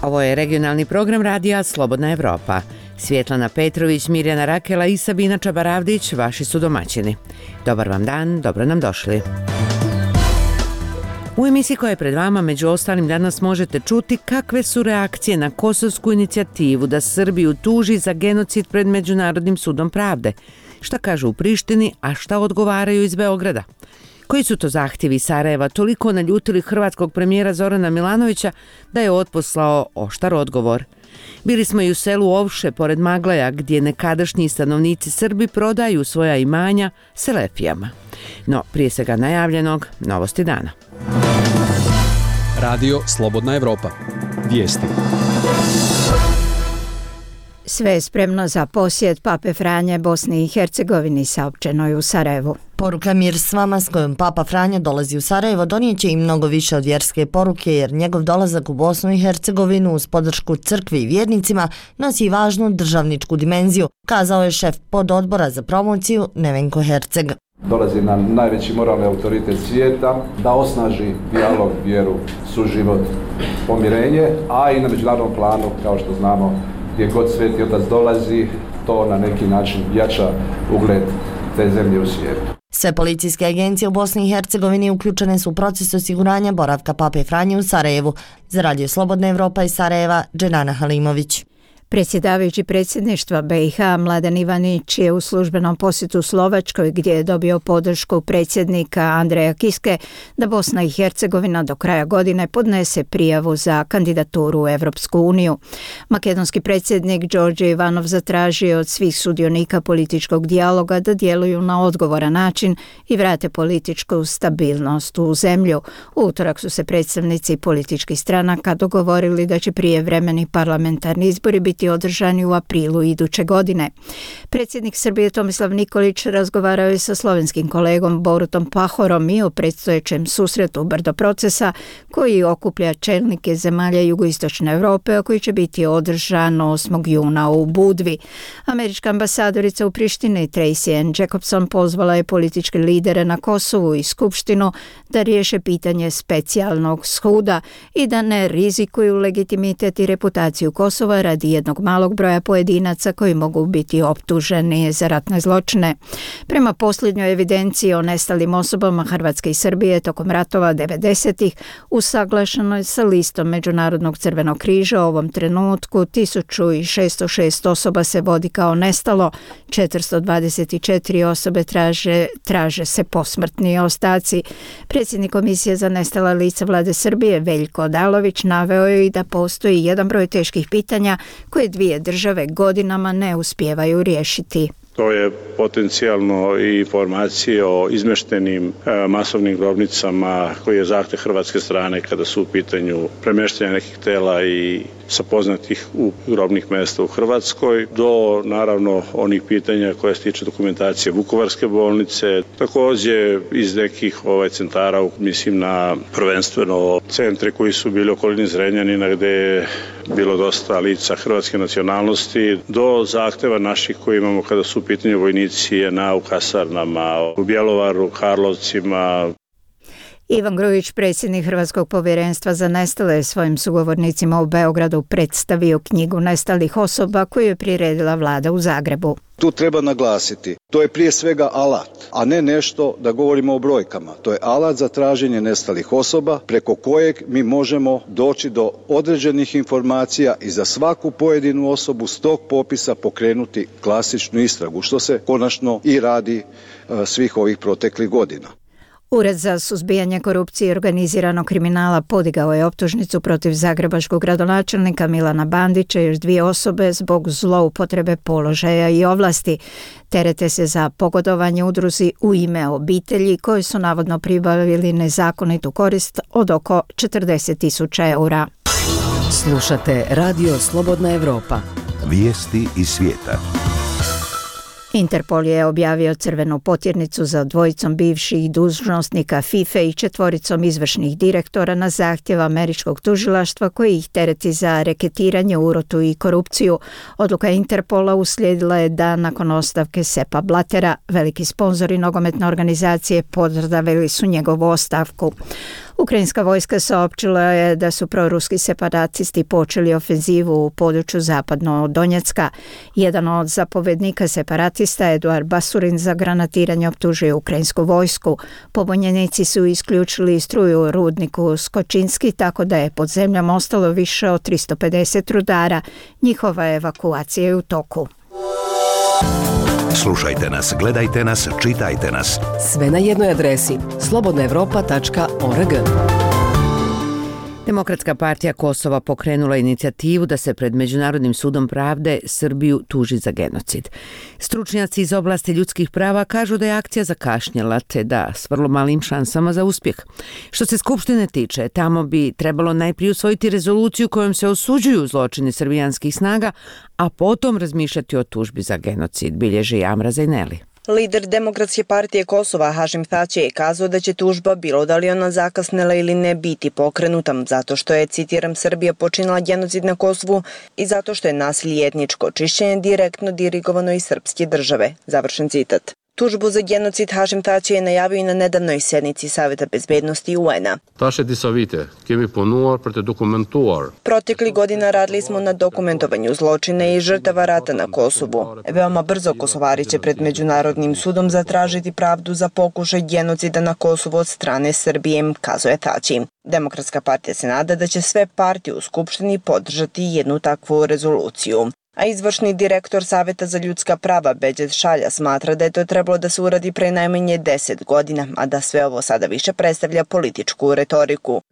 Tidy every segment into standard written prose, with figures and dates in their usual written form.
Ovo je regionalni program radija Slobodna Evropa. Svjetlana Petrović, Mirjana Rakela i Sabina Čabaravdić, vaši su domaćini. Dobar vam dan, dobro nam došli. U emisiji koja je pred vama, među ostalim, danas možete čuti kakve su reakcije na kosovsku inicijativu da Srbiju tuži za genocid pred Međunarodnim sudom pravde. Šta kažu u Prištini, a šta odgovaraju iz Beograda? Koji su to zahtjevi iz Sarajeva toliko naljutili hrvatskog premijera Zorana Milanovića da je otposlao oštar odgovor? Bili smo i u selu Ovše pored Maglaja, gdje nekadašnji stanovnici Srbi prodaju svoja imanja Selefijama. No, prije svega najavljenog, novosti dana. Radio Slobodna Evropa. Vijesti. Sve je spremno za posjet Pape Franje Bosni i Hercegovini, saopćeno je u Sarajevu. Poruka Mir s vama s kojom Papa Franje dolazi u Sarajevo donijeće i mnogo više od vjerske poruke, jer njegov dolazak u Bosnu i Hercegovinu uz podršku crkvi i vjernicima nosi važnu državničku dimenziju, kazao je šef pododbora za promociju Nevenko Herceg. Dolazi nam najveći moralni autoritet svijeta da osnaži dijalog, vjeru, suživot, pomirenje, a i na međunarodnom planu, kao što znamo, gdje god Sveti Otac dolazi, to na neki način jača ugled te zemlje u svijetu. Sve policijske agencije u Bosni i Hercegovini uključene su u proces osiguranja boravka Pape Franje u Sarajevu. Za Radio Slobodna Evropa iz Sarajeva, Dženana Halimović. Predsjedavajući predsjedništva BiH Mladen Ivanić je u službenom posjetu Slovačkoj, gdje je dobio podršku predsjednika Andreja Kiske da Bosna i Hercegovina do kraja godine podnese prijavu za kandidaturu u Evropsku uniju. Makedonski predsjednik Đorđe Ivanov zatražio od svih sudionika političkog dijaloga da djeluju na odgovoran način i vrate političku stabilnost u zemlju. U utorak su se predstavnici političkih stranaka dogovorili da će prijevremeni parlamentarni izbori biti održani u aprilu iduće godine. Predsjednik Srbije Tomislav Nikolić razgovarao je sa slovenskim kolegom Borutom Pahorom i o predstojećem susretu Brdo procesa koji okuplja čelnike zemalja jugoistočne Europe, a koji će biti održan 8. juna u Budvi. Američka ambasadorica u Prištini Tracy Ann Jacobson pozvala je političke lidere na Kosovu i Skupštinu da riješe pitanje specijalnog suda i da ne rizikuju legitimitet i reputaciju Kosova radi jednog malog broja pojedinaca koji mogu biti optuženi za ratne zločine. Prema posljednjoj evidenciji o nestalim osobama Hrvatske i Srbije tokom ratova 90-ih usaglašeno je sa listom Međunarodnog crvenog križa. U ovom trenutku 1606 osoba se vodi kao nestalo, 424 osobe traže se posmrtni ostaci. Predsjednik Komisije za nestala lica Vlade Srbije Veljko Odalović naveo je i da postoji jedan broj teških pitanja koje dvije države godinama ne uspijevaju riješiti. To je potencijalno i informacije o izmještenim masovnim grobnicama koji je zahtjev hrvatske strane kada su u pitanju premještanja nekih tela i sa poznatih grobnih mjesta u Hrvatskoj, do naravno onih pitanja koje se tiče dokumentacije Vukovarske bolnice, također iz nekih centara, mislim na prvenstveno centre koji su bili okolini Zrenjanina gdje je bilo dosta lica hrvatske nacionalnosti, do zahtjeva naših koji imamo kada su u pitanju vojnici u kasarnama, u Bjelovaru, Karlovcima. Ivan Grujić, predsjednik Hrvatskog povjerenstva za nestale, je svojim sugovornicima u Beogradu predstavio knjigu nestalih osoba koju je priredila vlada u Zagrebu. Tu treba naglasiti, to je prije svega alat, a ne nešto da govorimo o brojkama. To je alat za traženje nestalih osoba preko kojeg mi možemo doći do određenih informacija i za svaku pojedinu osobu s tog popisa pokrenuti klasičnu istragu, što se konačno i radi svih ovih proteklih godina. Ured za suzbijanje korupcije i organiziranog kriminala podigao je optužnicu protiv zagrebačkog gradonačelnika Milana Bandića i još 2 osobe zbog zloupotrebe položaja i ovlasti. Terete se za pogodovanje udruzi U ime obitelji koji su navodno pribavili nezakonitu korist od oko 40.000 eura. Slušate Radio Slobodna Evropa. Vijesti iz svijeta. Interpol je objavio crvenu potjernicu za 2 bivših dužnosnika FIFA i 4 izvršnih direktora na zahtjev američkog tužilaštva koji ih tereti za reketiranje, urotu i korupciju. Odluka Interpola uslijedila je dan nakon ostavke Seppa Blattera. Veliki sponzori nogometne organizacije pozdravili su njegovu ostavku. Ukrajinska vojska saopćila je da su proruski separatisti počeli ofenzivu u području zapadno od Donjecka. Jedan od zapovjednika separatista, Eduard Basurin, za granatiranje optužuje ukrajinsku vojsku. Pobunjenici su isključili struju u rudniku Skočinski, tako da je pod zemljom ostalo više od 350 rudara. Njihova evakuacija je u toku. Slušajte nas, gledajte nas, čitajte nas. Sve na jednoj adresi slobodnaevropa.org. Demokratska partija Kosova pokrenula inicijativu da se pred Međunarodnim sudom pravde Srbiju tuži za genocid. Stručnjaci iz oblasti ljudskih prava kažu da je akcija zakašnjela, te da s vrlo malim šansama za uspjeh. Što se Skupštine tiče, tamo bi trebalo najprije usvojiti rezoluciju kojom se osuđuju zločini srbijanskih snaga, a potom razmišljati o tužbi za genocid, bilježi Amra Zajneli. Lider Demokratske partije Kosova Hašim Tači je kazao da će tužba, bilo da li ona zakasnela ili ne, biti pokrenuta zato što je, citiram, Srbija počinila genocid na Kosovu i zato što je nasilje etničko čišćenje direktno dirigovano iz srpske države. Završen citat. Tužbu za genocid Hašim Tači je najavio i na nedavnoj sednici Saveta bezbednosti UN-a. Protekli godina radili smo na dokumentovanju zločina i žrtava rata na Kosovu. Veoma brzo Kosovari će pred Međunarodnim sudom zatražiti pravdu za pokušaj genocida na Kosovu od strane Srbije, kazuje Tači. Demokratska partija se nada da će sve partije u Skupštini podržati jednu takvu rezoluciju. A izvršni direktor Saveta za ljudska prava Beđet Šalja smatra da je to trebalo da se uradi pre najmanje 10 godina, a da sve ovo sada više predstavlja političku retoriku.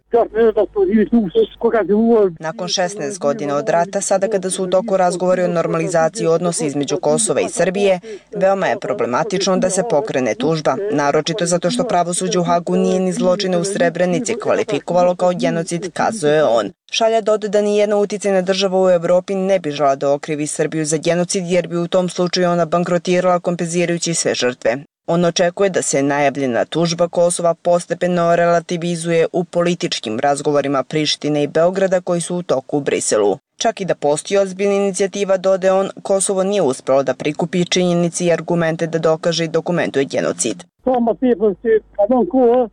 Nakon 16 godina od rata, sada kada su u toku razgovori o normalizaciji odnosa između Kosova i Srbije, veoma je problematično da se pokrene tužba, naročito zato što pravosuđe u Hagu nije ni zločine u Srebrenici kvalifikovalo kao genocid, kazuje on. Šalja dodaje da nijedna uticajna država u Evropi ne bi žela da okrivi Srbiju za genocid, jer bi u tom slučaju ona bankrotirala kompenzirajući sve žrtve. On očekuje da se najavljena tužba Kosova postepeno relativizuje u političkim razgovorima Prištine i Beograda koji su u toku u Briselu. Čak i da postoji ozbiljna inicijativa, dodaje on, Kosovo nije uspelo da prikupi činjenice i argumente da dokaže i dokumentuje genocid.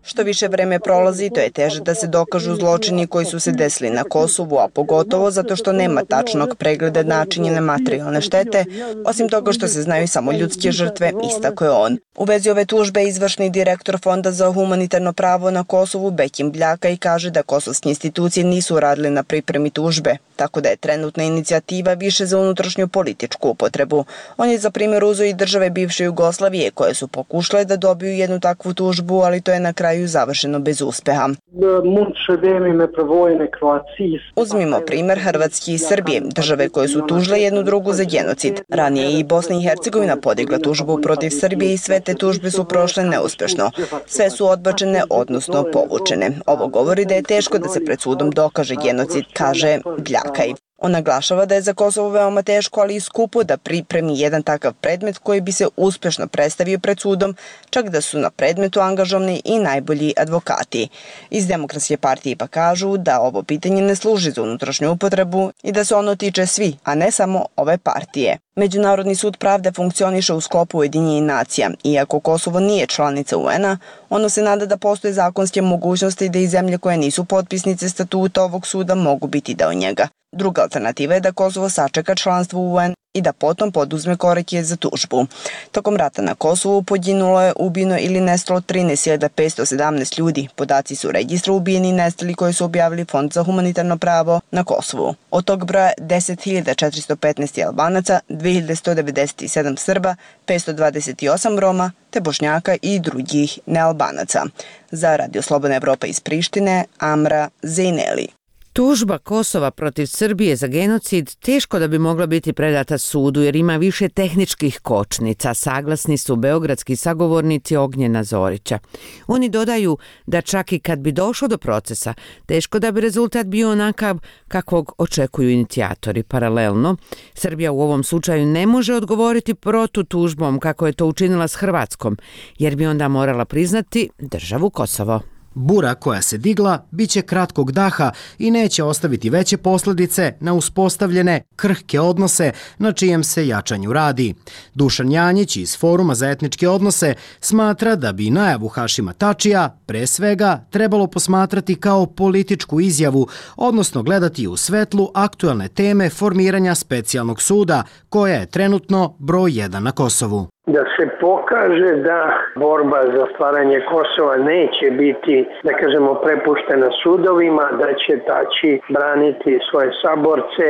Što više vreme prolazi, to je teže da se dokažu zločini koji su se desili na Kosovu, a pogotovo zato što nema tačnog pregleda načinjene materijalne štete, osim toga što se znaju samo ljudske žrtve, istakao je on. U vezi ove tužbe izvršni direktor Fonda za humanitarno pravo na Kosovu Bekim Bljaka i kaže da kosovske institucije nisu radile na pripremi tužbe, tako da je trenutna inicijativa više za unutrašnju političku upotrebu. On je za primjer uzeo i države bivše Jugoslavije koje su pokušale da dobiju jednu takvu tužbu, ali to je na kraju završeno bez uspeha. Uzmimo primjer Hrvatske i Srbije, države koje su tužile jednu drugu za genocid. Ranije je i Bosna i Hercegovina podigla tužbu protiv Srbije i sve te tužbe su prošle neuspješno. Sve su odbačene, odnosno povučene. Ovo govori da je teško da se pred sudom dokaže genocid, kaže Bljakaj. On naglašava da je za Kosovo veoma teško, ali i skupo da pripremi jedan takav predmet koji bi se uspješno predstavio pred sudom, čak da su na predmetu angažovani i najbolji advokati. Iz Demokratske partije pa kažu da ovo pitanje ne služi za unutrašnju upotrebu i da se ono tiče svi, a ne samo ove partije. Međunarodni sud pravde funkcioniše u sklopu Ujedinjenih nacija. Iako Kosovo nije članica UN-a, ono se nada da postoje zakonske mogućnosti da i zemlje koje nisu potpisnice statuta ovog suda mogu biti deo njega. Druga alternativa je da Kosovo sačeka članstvo u UN i da potom poduzme korake za tužbu. Tokom rata na Kosovu poginulo je, ubijeno ili nestalo 13.517 ljudi. Podaci su registra ubijeni i nestali koje su objavili Fond za humanitarno pravo na Kosovu. Od tog broja 10.415 Albanaca, 2.197 Srba, 528 Roma, te Bošnjaka i drugih nealbanaca. Za Radio Slobodna Evropa iz Prištine, Amra Zejneli. Tužba Kosova protiv Srbije za genocid teško da bi mogla biti predata sudu jer ima više tehničkih kočnica, saglasni su beogradski sagovornici Ognjena Zorića. Oni dodaju da čak i kad bi došlo do procesa, teško da bi rezultat bio onakav kakvog očekuju inicijatori. Paralelno, Srbija u ovom slučaju ne može odgovoriti protutužbom kako je to učinila s Hrvatskom, jer bi onda morala priznati državu Kosovo. Bura koja se digla biće kratkog daha i neće ostaviti veće posljedice na uspostavljene krhke odnose na čijem se jačanju radi. Dušan Janjić iz Foruma za etničke odnose smatra da bi najavu Hašima Tačija pre svega trebalo posmatrati kao političku izjavu, odnosno gledati u svetlu aktuelne teme formiranja specijalnog suda, koja je trenutno broj 1 na Kosovu. Da se pokaže da borba za stvaranje Kosova neće biti, da kažemo, prepuštena sudovima, da će Tači braniti svoje saborce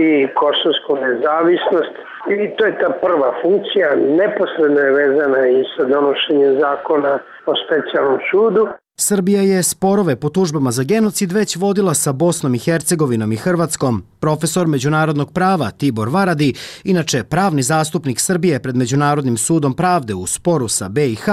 i kosovsku nezavisnost. I to je ta prva funkcija, neposredno je vezana i sa donošenjem zakona o specijalnom sudu. Srbija je sporove po tužbama za genocid već vodila sa Bosnom i Hercegovinom i Hrvatskom. Profesor međunarodnog prava Tibor Varadi, inače pravni zastupnik Srbije pred Međunarodnim sudom pravde u sporu sa BiH,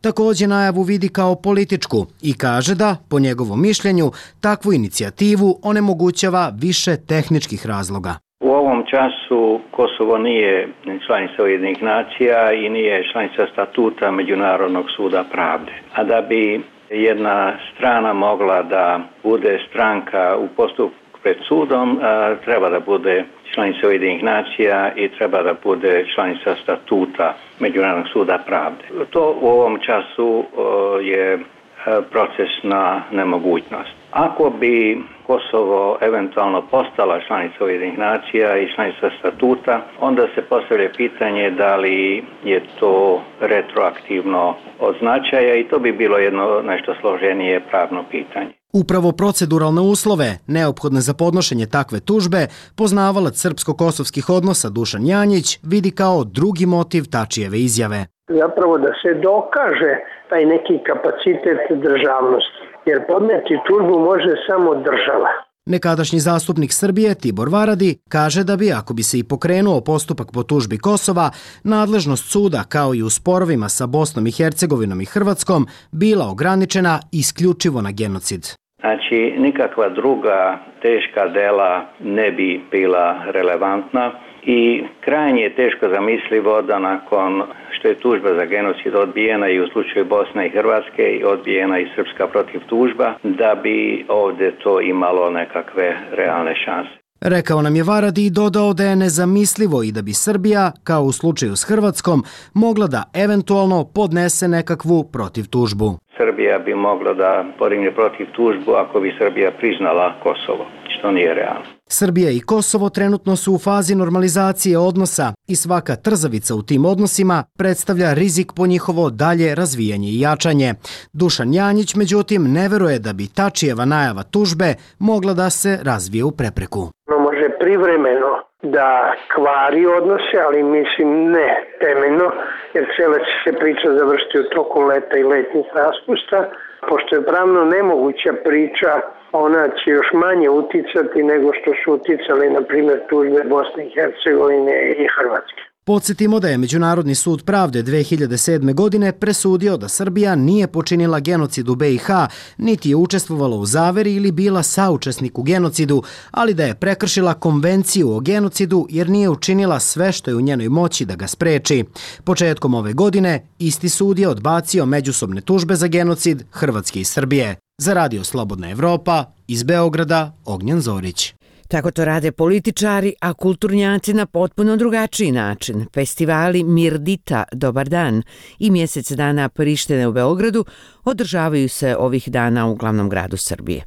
također najavu vidi kao političku i kaže da, po njegovom mišljenju, takvu inicijativu onemogućava više tehničkih razloga. U ovom času Kosovo nije članica Ujedinjenih nacija i nije članica statuta Međunarodnog suda pravde. A da bi jedna strana mogla da bude stranka u postupku pred sudom, treba da bude članica Ujedinjenih nacija i treba da bude članica statuta Međunarodnog suda pravde. To u ovom času je procesna nemogućnost. Ako bi Kosovo eventualno postala članica Ujedinjenih nacija i članica statuta, onda se postavlja pitanje da li je to retroaktivno od značaja i to bi bilo jedno nešto složenije pravno pitanje. Upravo proceduralne uslove, neophodne za podnošenje takve tužbe, poznavalac srpsko-kosovskih odnosa Dušan Janjić vidi kao drugi motiv Tačijeve izjave. Zapravo da se dokaže taj neki kapacitet državnosti, jer podneti tužbu može samo država. Nekadašnji zastupnik Srbije Tibor Varadi kaže da bi, ako bi se i pokrenuo postupak po tužbi Kosova, nadležnost suda kao i u sporovima sa Bosnom i Hercegovinom i Hrvatskom bila ograničena isključivo na genocid. Znači, nikakva druga teška dela ne bi bila relevantna i krajnje je teško zamislivo da nakon što je tužba za genocid odbijena i u slučaju Bosne i Hrvatske i odbijena i srpska protiv tužba, da bi ovdje to imalo nekakve realne šanse. Rekao nam je Varadi i dodao da je nezamislivo i da bi Srbija, kao u slučaju s Hrvatskom, mogla da eventualno podnese nekakvu protiv tužbu. Srbija bi mogla da podigne protiv tužbu ako bi Srbija priznala Kosovo, što nije realno. Srbija i Kosovo trenutno su u fazi normalizacije odnosa i svaka trzavica u tim odnosima predstavlja rizik po njihovo dalje razvijanje i jačanje. Dušan Janjić, međutim, ne veruje da bi Tačijeva najava tužbe mogla da se razvije u prepreku. Može privremeno da kvari odnose, ali mislim ne temeljno, jer cijela će se priča završiti u toku leta i letnjih raspusta. Pošto je pravno nemoguća priča, ona će još manje uticati nego što su uticali, na primjer, tužbe Bosne i Hercegovine i Hrvatske. Podsjetimo da je Međunarodni sud pravde 2007. godine presudio da Srbija nije počinila genocid u BiH, niti je učestvovala u zaveri ili bila saučesnik u genocidu, ali da je prekršila konvenciju o genocidu jer nije učinila sve što je u njenoj moći da ga spreči. Početkom ove godine isti sud je odbacio međusobne tužbe za genocid Hrvatske i Srbije. Za Radio Slobodna Evropa, iz Beograda, Ognjen Zorić. Tako to rade političari, a kulturnjaci na potpuno drugačiji način. Festivali Mirdita, Dobar dan i Mjesec dana Prištine u Beogradu održavaju se ovih dana u glavnom gradu Srbije.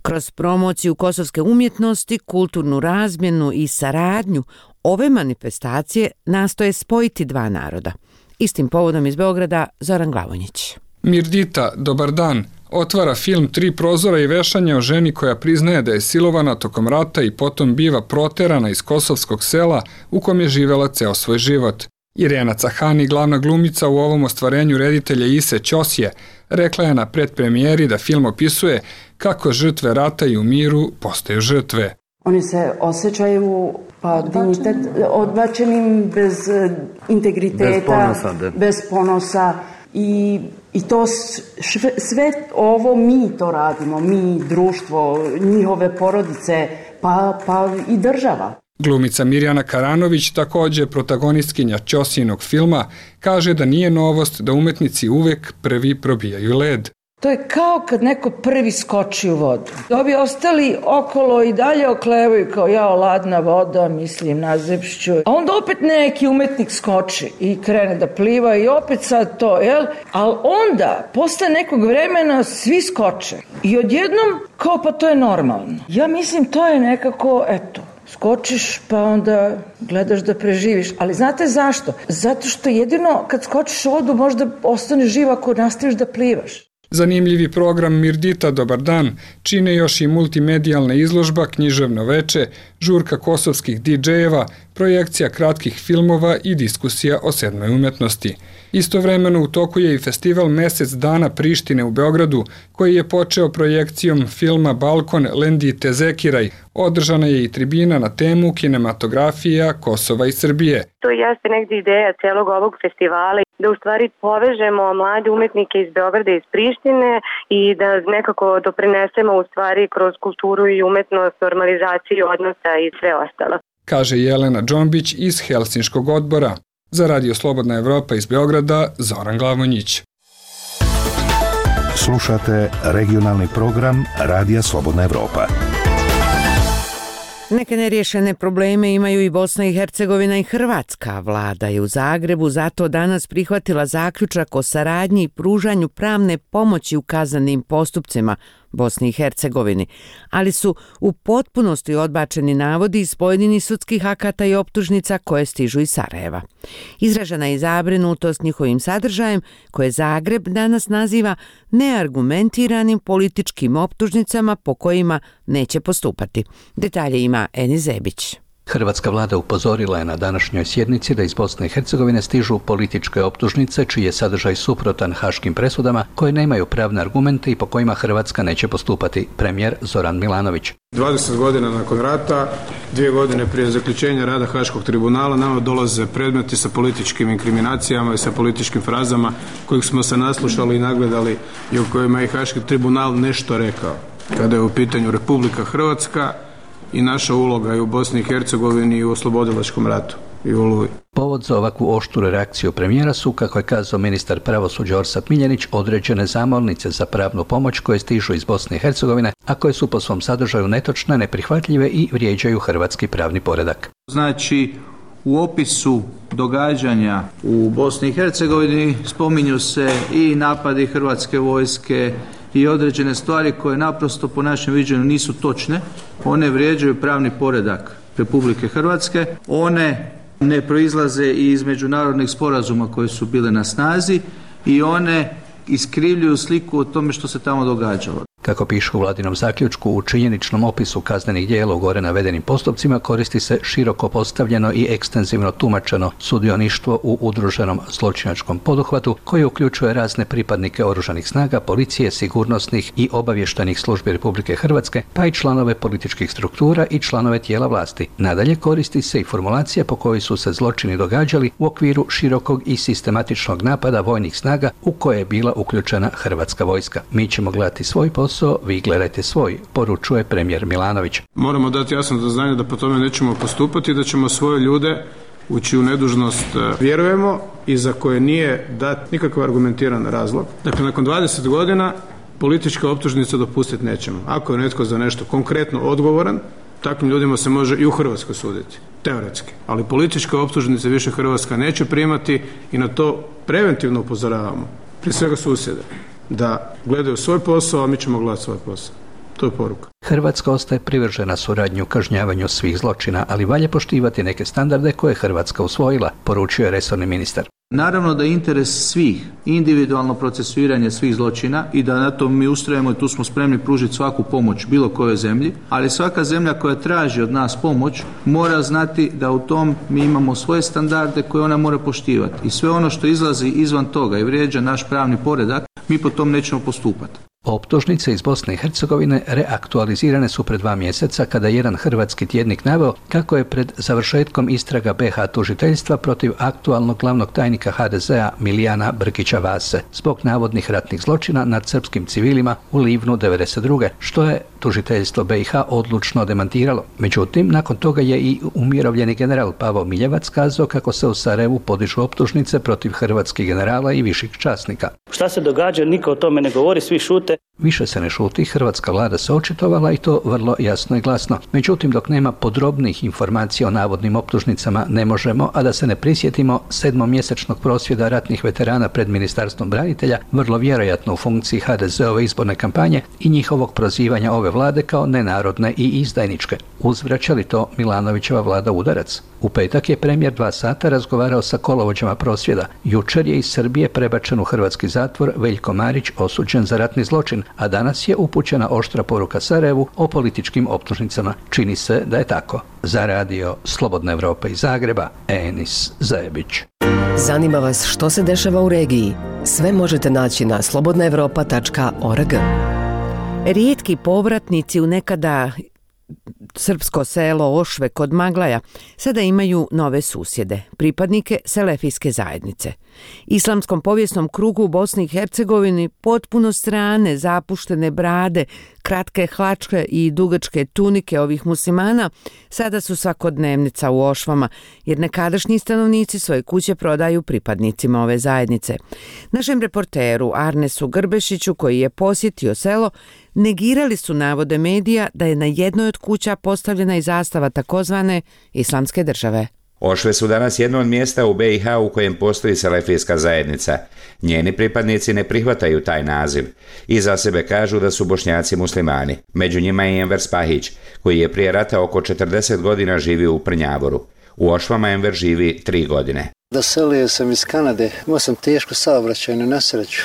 Kroz promociju kosovske umjetnosti, kulturnu razmjenu i saradnju, ove manifestacije nastoje spojiti dva naroda. Istim povodom iz Beograda Zoran Glavonjić. Mirdita, Dobar dan otvara film Tri prozora i vešanje o ženi koja priznaje da je silovana tokom rata i potom biva proterana iz kosovskog sela u kom je živela ceo svoj život. Irena Cahani, glavna glumica u ovom ostvarenju reditelja Ise Ćosije, rekla je na predpremijeri da film opisuje kako žrtve rata i u miru postaju žrtve. Oni se osjećaju odbačenim, bez integriteta, bez ponosa. I to sve ovo mi to radimo, mi, društvo, njihove porodice, pa i država. Glumica Mirjana Karanović, također protagonistkinja Ćosijinog filma, kaže da nije novost da umetnici uvek prvi probijaju led. To je kao kad neko prvi skoči u vodu. Ovi ostali okolo i dalje oklevaju kao jao ladna voda, mislim nazepšću. A onda opet neki umetnik skoči i krene da pliva i opet sad to, jel? Ali onda, posle nekog vremena, svi skoče. I odjednom, kao pa to je normalno. Ja mislim to je nekako, eto, skočiš pa onda gledaš da preživiš. Ali znate zašto? Zato što jedino kad skočiš u vodu možda ostaneš živ ako nastaviš da plivaš. Zanimljivi program Mirdita Dobar dan čine još i multimedijalna izložba, književno veče, žurka kosovskih DJ-eva, projekcija kratkih filmova i diskusija o sedmoj umetnosti. Istovremeno u toku je i festival Mesec dana Prištine u Beogradu, koji je počeo projekcijom filma Balkon Lendite Zekiraj. Održana je i tribina na temu kinematografija Kosova i Srbije. To jeste negdje ideja celog ovog festivala, da u stvari povežemo mlade umetnike iz Beograda i iz Prištine i da nekako doprinesemo u stvari kroz kulturu i umetnost, normalizaciju odnosa i sve ostalo. Kaže Jelena Džombić iz Helsinškog odbora. Za Radio Slobodna Evropa iz Beograda, Zoran Glavonjić. Slušate regionalni program Radija Slobodna Evropa. Neke neriješene probleme imaju i Bosna i Hercegovina i Hrvatska. Vlada je u Zagrebu zato danas prihvatila zaključak o saradnji i pružanju pravne pomoći u kaznenim postupcima Bosni i Hercegovini, ali su u potpunosti odbačeni navodi iz pojedinih sudskih akata i optužnica koje stižu iz Sarajeva. Izražena je zabrinutost njihovim sadržajem koje Zagreb danas naziva neargumentiranim političkim optužnicama po kojima neće postupati. Detalje ima Eni Zebić. Hrvatska vlada upozorila je na današnjoj sjednici da iz Bosne i Hercegovine stižu političke optužnice čiji je sadržaj suprotan haškim presudama koje nemaju pravne argumente i po kojima Hrvatska neće postupati. Premijer Zoran Milanović. 20 godina nakon rata, 2 godine prije zaključenja rada Haškog tribunala nama dolaze predmeti sa političkim inkriminacijama i sa političkim frazama kojih smo se naslušali i nagledali i u kojima je Haški tribunal nešto rekao. Kada je u pitanju Republika Hrvatska i naša uloga i u Bosni i Hercegovini i u oslobodilačkom ratu i u Oluji. Povod za ovakvu oštru reakciju premijera su, kako je kazao ministar pravosuđa Orsat Miljenić, određene zamolnice za pravnu pomoć koje stižu iz Bosne i Hercegovine, a koje su po svom sadržaju netočne, neprihvatljive i vrijeđaju hrvatski pravni poredak. Znači, u opisu događanja u Bosni i Hercegovini spominju se i napadi hrvatske vojske i određene stvari koje naprosto po našem viđenju nisu točne. One vrijeđaju pravni poredak Republike Hrvatske. One ne proizlaze iz međunarodnih sporazuma koji su bile na snazi i one iskrivljuju sliku o tome što se tamo događalo. Kako piše u vladinom zaključku, u činjeničnom opisu kaznenih djela u gore navedenim postupcima koristi se široko postavljeno i ekstenzivno tumačeno sudioništvo u udruženom zločinačkom poduhvatu koji uključuje razne pripadnike oružanih snaga, policije, sigurnosnih i obavještajnih službi Republike Hrvatske, pa i članove političkih struktura i članove tijela vlasti. Nadalje koristi se i formulacija po kojoj su se zločini događali u okviru širokog i sistematičnog napada vojnih snaga u koje je bila uključena Hrvatska vojska. Mi ćemo gledati svoj posao, vi gledajte svoj, poručuje premijer Milanović. Moramo dati jasno do znanja da po tome nećemo postupati, da ćemo svoje ljude u čiju nedužnost vjerujemo i za koje nije dat nikakav argumentiran razlog. Dakle, nakon 20 godina političke optužnice dopustiti nećemo. Ako je netko za nešto konkretno odgovoran, takvim ljudima se može i u Hrvatskoj suditi, teoretski. Ali političke optužnice više Hrvatska neće primati i na to preventivno upozoravamo. Prije svega susjede, da gledaju svoj posao, a mi ćemo gledati svoj posao. To je poruka. Hrvatska ostaje privržena suradnji u kažnjavanju svih zločina, ali valja poštivati neke standarde koje je Hrvatska usvojila, poručuje resorni ministar. Naravno da je interes svih, individualno procesuiranje svih zločina i da na to mi ustrajemo i tu smo spremni pružiti svaku pomoć bilo kojoj zemlji, ali svaka zemlja koja traži od nas pomoć mora znati da u tom mi imamo svoje standarde koje ona mora poštivati i sve ono što izlazi izvan toga i vrijeđa naš pravni poredak, mi po tom nećemo postupati. Optužnice iz Bosne i Hercegovine reaktualizirane su pred 2 mjeseca kada je jedan hrvatski tjednik naveo kako je pred završetkom istraga BiH tužiteljstva protiv aktualnog glavnog tajnika HDZ-a Milijana Brkića Vase zbog navodnih ratnih zločina nad srpskim civilima u Livnu 1992. što je tužiteljstvo BiH odlučno demantiralo. Međutim, nakon toga je i umirovljeni general Pavo Miljevac kazao kako se u Sarajevu podižu optužnice protiv hrvatskih generala i viših časnika. Šta se događa, niko o tome ne govori, svi šute. Više se ne šuti, hrvatska vlada se očitovala i to vrlo jasno i glasno. Međutim, dok nema podrobnih informacija o navodnim optužnicama, ne možemo, a da se ne prisjetimo 7-mjesečnog prosvjeda ratnih veterana pred Ministarstvom branitelja, vrlo vjerojatno u funkciji HDZ-ove izborne kampanje i njihovog prozivanja ove vlade kao nenarodne i izdajničke. Uzvraća li to Milanovićeva vlada udarac? U petak je premijer 2 sata razgovarao sa kolovođama prosvjeda. Jučer je iz Srbije prebačen u hrvatski zatvor Veljko Marić, osuđen za ratni zločin, a danas je upućena oštra poruka Sarajevu o političkim optužnicama. Čini se da je tako. Za radio Slobodna Evropa iz Zagreba, Enis Zajebić. Zanima vas što se dešava u regiji? Sve možete naći na slobodnaevropa.org. Rijetki povratnici u nekada srpsko selo Ošve kod Maglaja sada imaju nove susjede, pripadnike selefijske zajednice. Islamskom povijesnom krugu u Bosni i Hercegovini potpuno strane, zapuštene brade, kratke hlačke i dugačke tunike ovih muslimana sada su svakodnevnica u Ošvama, jer nekadašnji stanovnici svoje kuće prodaju pripadnicima ove zajednice. Našem reporteru Arnesu Grbešiću, koji je posjetio selo, negirali su navode medija da je na jednoj od kuća postavljena i zastava takozvane Islamske države. Ošve su danas jedno od mjesta u BiH u kojem postoji selefijska zajednica. Njeni pripadnici ne prihvataju taj naziv i za sebe kažu da su Bošnjaci muslimani. Među njima je Enver Spahić, koji je prije rata oko 40 godina živio u Prnjavoru. U Ošvama Enver živi 3 godine. Doselio sam iz Kanade, imao sam tešku saobraćajnu nesreću.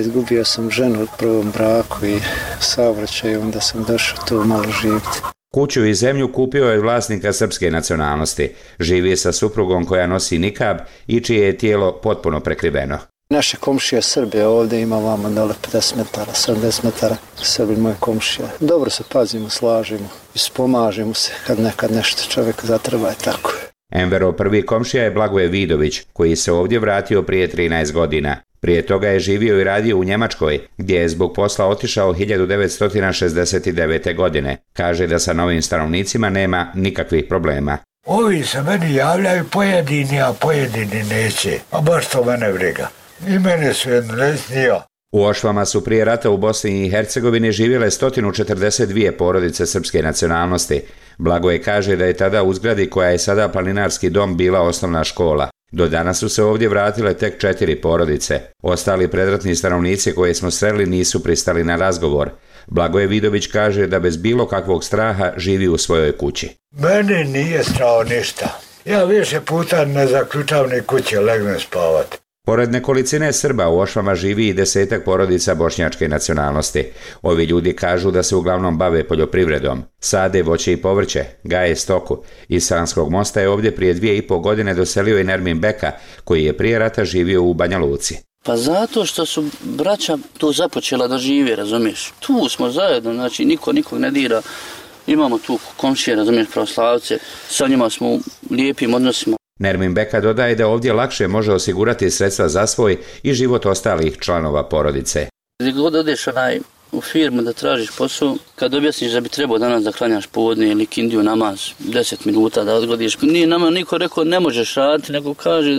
Izgubio sam ženu u prvom braku i saobraćaju, onda sam došao tu malo živjeti. Kuću i zemlju kupio je vlasnika srpske nacionalnosti. Živi sa suprugom koja nosi nikab i čije je tijelo potpuno prekriveno. Naše komšije Srbije ovdje ima vamo dole 50 metara, 70 metara. Srbi moje komšije. Dobro se pazimo, slažemo i spomažemo se kad nekad nešto čovjek zatreba i tako. Enverov prvi komšija je Blagoje Vidović, koji se ovdje vratio prije 13 godina. Prije toga je živio i radio u Njemačkoj, gdje je zbog posla otišao 1969. godine. Kaže da sa novim stanovnicima nema nikakvih problema. Ovi se meni javljaju pojedini, a pojedini neće. A baš to mene briga. I mene su jedno nesnio. U Ošvama su prije rata u Bosni i Hercegovini živjele 142 porodice srpske nacionalnosti. Blagoje kaže da je tada u zgradi koja je sada planinarski dom bila osnovna škola. Do danas su se ovdje vratile tek 4 porodice. Ostali predratni stanovnici koje smo sreli nisu pristali na razgovor. Blagoje Vidović kaže da bez bilo kakvog straha živi u svojoj kući. Meni nije strao ništa. Ja više puta ne zaključam ni kuće, legnem spavati. Pored nekolicine Srba u Ošvama živi i 10-ak porodica bošnjačke nacionalnosti. Ovi ljudi kažu da se uglavnom bave poljoprivredom. Sade voće i povrće, gaje stoku. Iz Sanskog mosta je ovdje prije 2,5 godine doselio i Nermin Beka, koji je prije rata živio u Banja Luci. Pa zato što su braća tu započela da žive, razumiješ. Tu smo zajedno, znači niko nikog ne dira. Imamo tu komšije, razumiješ, pravoslavce. Sa njima smo u lijepim odnosima. Nermin Beka dodaje da ovdje lakše može osigurati sredstva za svoj i život ostalih članova porodice. Gdje god odeš u firmu da tražiš posao, kad objasniš da bi trebao danas da klanjaš podne ili kindiju namaz 10 minuta da odgodiš, nije nama niko rekao ne možeš raditi, nego kaže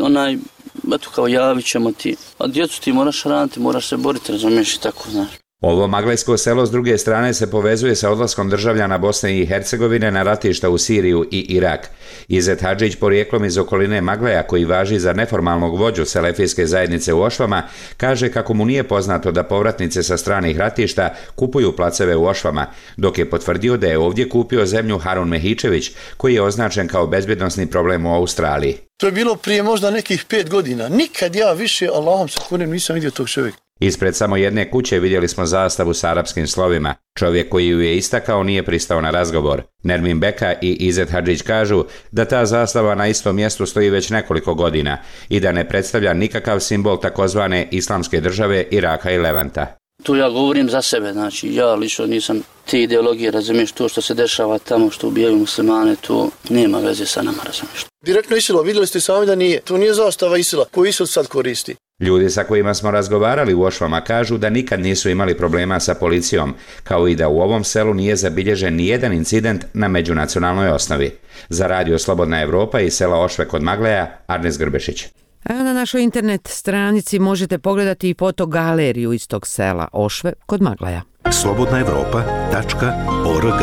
eto kao javit ćemo ti, a djecu ti moraš raditi, moraš se boriti, razumiješ i tako, znaš. Ovo maglajsko selo s druge strane se povezuje sa odlaskom državljana Bosne i Hercegovine na ratišta u Siriju i Irak. Izet Hadžić, porijeklom iz okoline Maglaja, koji važi za neformalnog vođu selefijske zajednice u Ošvama, kaže kako mu nije poznato da povratnice sa stranih ratišta kupuju placeve u Ošvama, dok je potvrdio da je ovdje kupio zemlju Harun Mehičević, koji je označen kao bezbjednosni problem u Australiji. To je bilo prije možda nekih 5 godina. Nikad ja više, Allahom se kunem, nisam vidio tog čovjeka. Ispred samo jedne kuće vidjeli smo zastavu s arapskim slovima. Čovjek koji ju je istakao nije pristao na razgovor. Nermin Beka i Izet Hadžić kažu da ta zastava na istom mjestu stoji već nekoliko godina i da ne predstavlja nikakav simbol takozvane Islamske države Iraka i Levanta. Tu ja govorim za sebe, znači ja lično nisam te ideologije, razumiješ, to što se dešava tamo, što ubijaju muslimane, to nema veze sa nama, razumiješ. Direktno ISIL-a, vidjeli ste sami da nije. To nije zastava ISIL-a, koju ISIL sad koristi. Ljudi sa kojima smo razgovarali u Ošvama kažu da nikad nisu imali problema sa policijom, kao i da u ovom selu nije zabilježen nijedan incident na međunacionalnoj osnovi. Za Radio Slobodna Evropa iz sela Ošve kod Magleja, Arnes Grbešić. A na našoj internet stranici možete pogledati i fotogaleriju iz tog sela Ošve kod Magleja. slobodnaevropa.org.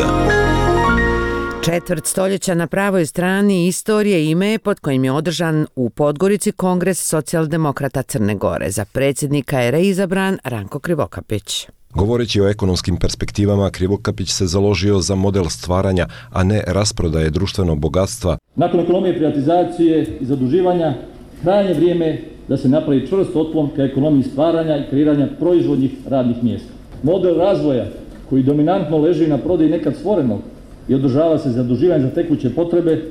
Četvrt stoljeća na pravoj strani istorije ime je pod kojim je održan u Podgorici Kongres socijaldemokrata Crne Gore. Za predsjednika je reizabran Ranko Krivokapić. Govoreći o ekonomskim perspektivama, Krivokapić se založio za model stvaranja, a ne rasprodaje društvenog bogatstva. Nakon ekonomije privatizacije i zaduživanja, krajnje vrijeme da se napravi čvrst otklon ka ekonomiji stvaranja i kreiranja proizvodnih radnih mjesta. Model razvoja koji dominantno leži na prodaji nekad stvorenog i održava se zaduživanje za tekuće potrebe,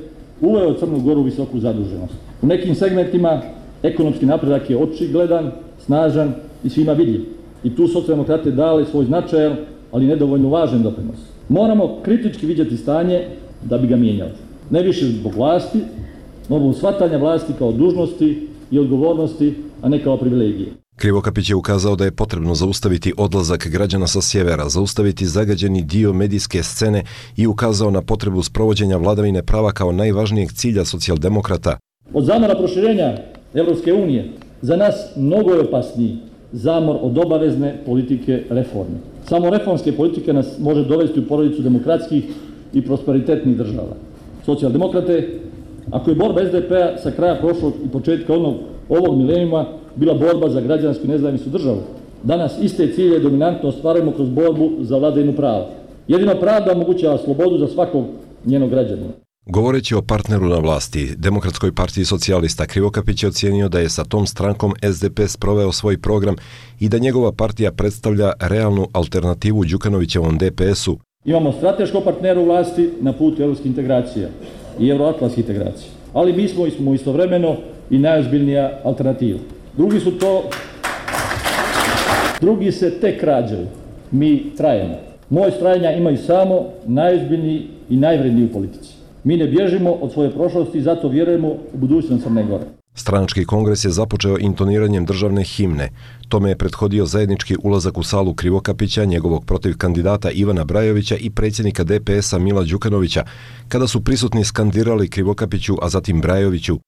uveo Crnu Goru u visoku zaduženost. U nekim segmentima ekonomski napredak je očigledan, snažan i svima vidljiv. I tu socijaldemokrate dali svoj značajan, ali nedovoljno važan doprinos. Moramo kritički vidjeti stanje da bi ga mijenjali. Ne više zbog vlasti, no zbog shvatanja vlasti kao dužnosti i odgovornosti, a ne kao privilegije. Krivokapić je ukazao da je potrebno zaustaviti odlazak građana sa sjevera, zaustaviti zagađeni dio medijske scene i ukazao na potrebu sprovođenja vladavine prava kao najvažnijeg cilja socijaldemokrata. Od zamora proširenja Evropske unije za nas mnogo je opasniji zamor od obavezne politike reforme. Samo reformske politike nas može dovesti u porodicu demokratskih i prosperitetnih država. Socijaldemokrate, ako je borba SDP-a sa kraja prošlog i početka ovog milenijuma bila borba za građansku nezavisnu državu, danas iste cilje dominantno ostvarujemo kroz borbu za vladavinu prava. Jedino pravda omogućava slobodu za svakog njenog građanina. Govoreći o partneru na vlasti, Demokratskoj partiji socijalista, Krivokapić je ocijenio da je sa tom strankom SDP sproveo svoj program i da njegova partija predstavlja realnu alternativu Đukanovićevom DPS-u. Imamo strateškog partnera u vlasti na putu evropskih integracija i euroatlantskih integracija, ali mi smo istovremeno i najozbiljnija alternativa. Drugi se tek rađaju, mi trajemo. Moje trajanja imaju samo najozbiljniji i najvredniji u politici. Mi ne bježimo od svoje prošlosti i zato vjerujemo u budućnost Crne Gore. Stranački kongres je započeo intoniranjem državne himne. Tome je prethodio zajednički ulazak u salu Krivokapića, njegovog protiv kandidata Ivana Brajovića i predsjednika DPS-a Mila Đukanovića, kada su prisutni skandirali Krivokapiću, a zatim Brajoviću.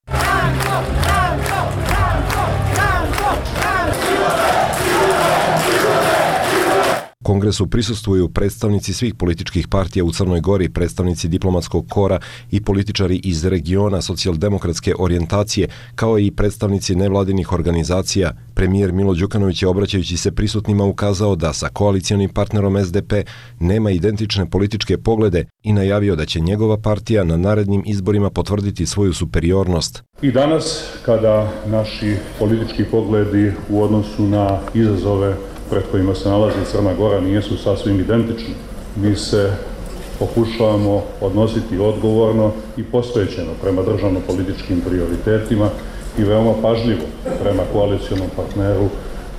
Kongresu prisustvuju predstavnici svih političkih partija u Crnoj Gori, predstavnici diplomatskog kora i političari iz regiona socijaldemokratske orijentacije, kao i predstavnici nevladinih organizacija. Premijer Milo Đukanović je, obraćajući se prisutnima, ukazao da sa koalicionim partnerom SDP nema identične političke poglede i najavio da će njegova partija na narednim izborima potvrditi svoju superiornost. I danas, kada naši politički pogledi u odnosu na izazove pred kojima se nalazi Crna Gora nisu sasvim identični, mi se pokušavamo odnositi odgovorno i posvećeno prema državno-političkim prioritetima i veoma pažljivo prema koalicionom partneru,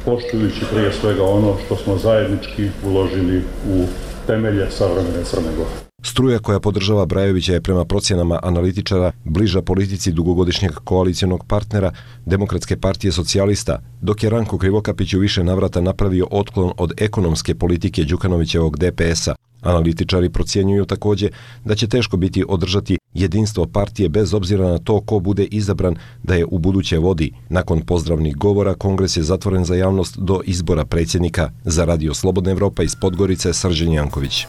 poštujući prije svega ono što smo zajednički uložili u temelje savremene Crne Gore. Struja koja podržava Brajovića je prema procjenama analitičara bliža politici dugogodišnjeg koalicionog partnera Demokratske partije socijalista, dok je Ranko Krivokapić u više navrata napravio otklon od ekonomske politike Đukanovićevog DPS-a. Analitičari procjenjuju također da će teško biti održati jedinstvo partije bez obzira na to ko bude izabran da je u buduće vodi. Nakon pozdravnih govora, kongres je zatvoren za javnost do izbora predsjednika. Za Radio Slobodna Evropa iz Podgorice, Srđan Janković.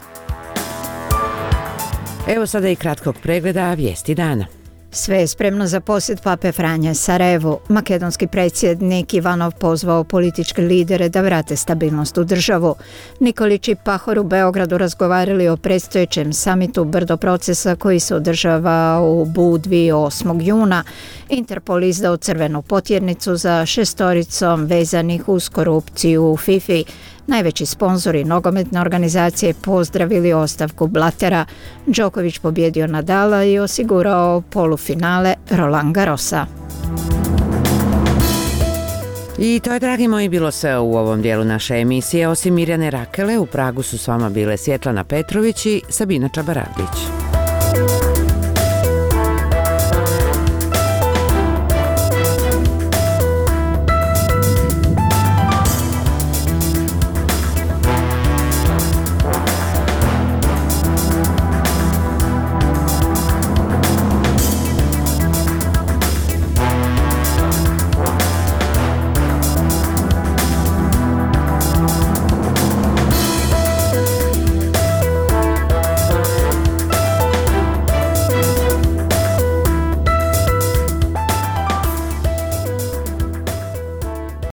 Evo sada i kratkog pregleda vijesti dana. Sve je spremno za posjet Pape Franje Sarajevu. Makedonski predsjednik Ivanov pozvao političke lidere da vrate stabilnost u državu. Nikolić i Pahor u Beogradu razgovarali o predstojećem samitu Brdo procesa koji se održava u Budvi 8. juna. Interpol izdao crvenu potjernicu za 6 vezanih uz korupciju u FIFA. Najveći sponzori nogometne organizacije pozdravili ostavku Blatera. Đoković pobjedio Nadala i osigurao polufinale Roland Garrosa. I to je, dragi moji, bilo sve u ovom dijelu naše emisije. Osim Mirjane Rakele, u Pragu su s vama bile Svjetlana Petrović i Sabina Čabaragić.